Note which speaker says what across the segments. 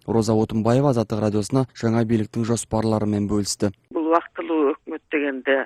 Speaker 1: Роза Отунбаева Азаттык радиосуна жаңа бийликтин жоспарлары менен бөлүштү.
Speaker 2: Бул убактылуу өкмөт дегенде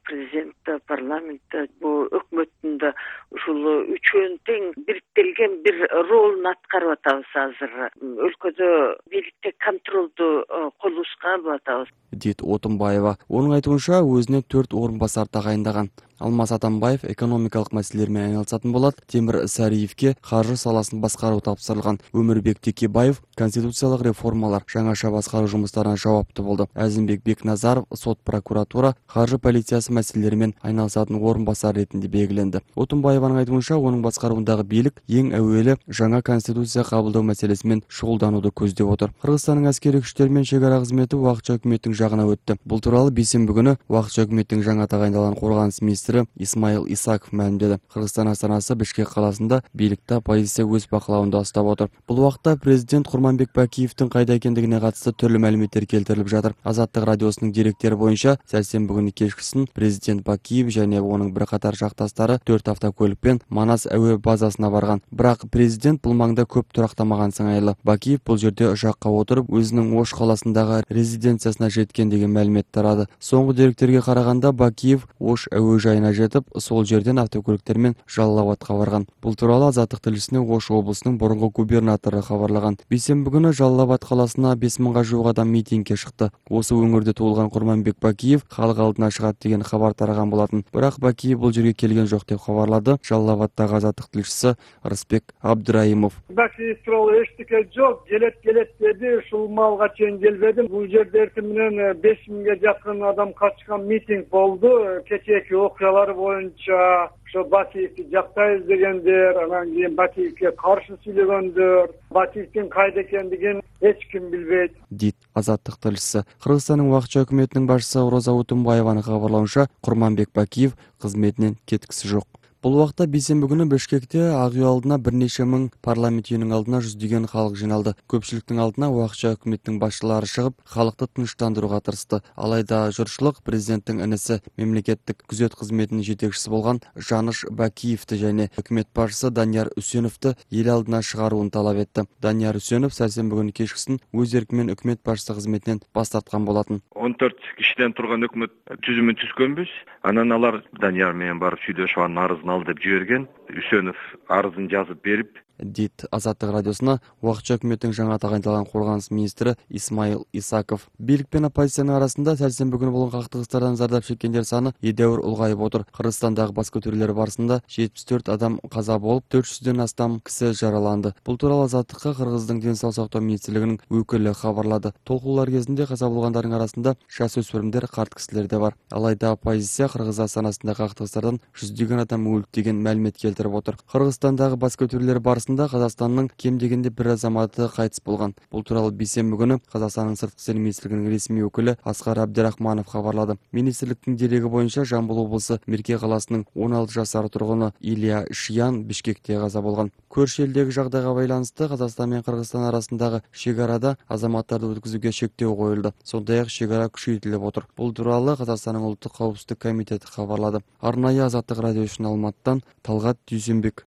Speaker 2: президент, парламент, бул өкмөттүн да ушул үчөөнүн тең бириктелген бир ролун аткарып атабыз азыр. Өлкөдө бийликте контролду колубузга алып атабыз,
Speaker 1: дейт Отунбаева. Онун айтуунча, өзүнө 4 орун басар тагайындаган. Алмаз Атамбаев экономикалык маселелер менен айналысатын болот. Темир Сариевке каржы саласын башкаруу тапшырылган. Өмүрбек Текебаев конституциялык реформалар, жаңаша башкаруу жумуштарына жауаптуу болду. Азимбек Бекназаров сот, прокуратура, каржы полициясы маселелери менен айналысатын орун басар ретинде белгиленди. Отунбаеванын айтуунча, онун башкаруундагы бийлик эң әүвелі жаңа конституция кабылдоо маселеси менен шугулданууду көздөп отур. Кыргызстандын аскери күчтөр менен чек ара кызмети убакытча өкмөттүн жагына өттү. Бул тууралуу бейсенби күнү убакытча өкмөттүн жаңа тагайындалган коргонус министри Исмаил Исаков маалимдеди. Кыргызстан астанасы Бишкек каласында бийликте оппозиция өз бакылауында ұстап отур. Бул убакта президент Курманбек Бакиевдин кайда экендигине катысты түрлүү маалиметтер келтирилип жатыр. Азаттык радиосунун деректери боюнча, сәрсенби күнү кечкисин президент Бакиев жана онун бир катар жакташтары 4 автокөлүкпен Манас әуе базасына барган. Бирок президент бул маңда көп турактамаган сыңайлы. Бакиев бул жерде ұшакка отуруп, өзүнүн Ош каласындагы резиденциясына жеткен деген маалимет тарады. Соңку деректерге караганда, Бакиев Ош әуе жайына жетип, сол жерден автокөлүктөр менен Жалал Абадка барган. Бул тууралуу Азаттык тилчисине Ош облусунун борунку губернатору кабарлаган. Бейсенби күнү Жалал Абад каласына 5000 жук адам митингге чыкты. Осы өңүрдө туулган Курманбек Бакиев халык алдына чыгат деген кабар тараган болотун. Бирок Бакиев бул жерге келген жок деп кабарлады Жалал Абаддагы Азаттык тилчиси Рысбек Абдыраимов.
Speaker 3: Бакиев тууралуу эчтеке жок, келет деди, ушул маалга чейин келбедим. Бул жерде эртең менен 5000 жакын адам катышкан митинг болду. Кечээки окуялар боюнча ошо Бакиевди жактайбыз дегендер, анан кийин Бакиевге каршы сүйлөгөндөр, Бакиевдин кайда экендигин эч ким билбейт,
Speaker 1: дейт Азаттык тилчиси. Кыргызстандын убакытча өкмөтүнүн башчысы Роза Отунбаеванын кабарлауынча, Курманбек Бакиев кызметинен кеткиси жок. Бул убакта бейсенби күнү Бишкекте ак үй алдына бир нече миң, парламент үйүнүн алдына жүздөгөн халык жиналды. Көпчүлүктүн алдына убакытча өкмөттүн башчылары чыгып, халыкты тынчтандырууга тырышты. Алайда журтчулук президенттин энеси, мемлекеттик күзөт кызметинин жетекчиси болгон Жаныш Бакиевди жана өкмөт башчысы Данияр Үсеновду эл алдына чыгарууну талап этти. Данияр Үсенов сәрсенби күнү кечкисин өз эрки менен өкмөт башчысы кызметинен бас тарткан болотун.
Speaker 4: 14 кишиден турган өкмөт түзүмүн түзгөнбүз. Анан алар Данияр менен барып сүйлөшүп, анын арызын ал деп жиберген. Үсенов арызын жазып берип,
Speaker 1: дейт Азаттык радиосуна убакытча өкмөттүн жаңа тагайындалган коргонус министри Исмаил Исаков. Бийлик менен оппозициянын арасында сәрсенби күнү болгон кактыгыстардан зардап чеккендер саны едәуир улгайып отур. Кыргызстандагы бас көтөрүүлөр барысында 74 адам каза болуп, 400дөн астам киши жараланды. Бул тууралуу Азаттыкка Кыргыздын ден соолук сактоо министрлигинин өкүлү кабарлады. Толкуулар кезинде каза болгондордун арасында жаш өспүрүмдөр, карт кишилер да бар. Алайда оппозиция Кыргыз астанасындагы кактыгыстардан жүздөгөн адам өлдү деген маалимет келтирип отур. Кыргызстандагы бас көтөрүүлөр барысында Казакстандын кем дегенде бир азаматы кайтыс болгон. Бул тууралуу бейсенби күнү Казакстандын сырткы иштер министрлигинин ресми өкүлү Аскар Абдрахманов кабарлады. Министрликтин дереги боюнча Жамбыл облусу Мирке каласынын 16 жашар тургуну Илья Шиян Бишкекте каза болгон. Көршү элдеги жагдайга байланыштуу Казакстан менен Кыргызстан арасындагы чек арада азаматтарды өткүзүүгө чектөө коюлду. Сондай-ак чек ара күчөйтүлүп отур. Бул тууралуу Казакстандын улуттук коопсуздук комитети кабарлады. Арнайы Азаттык радиосунун Алматтан Талгат Дүйсөнбек.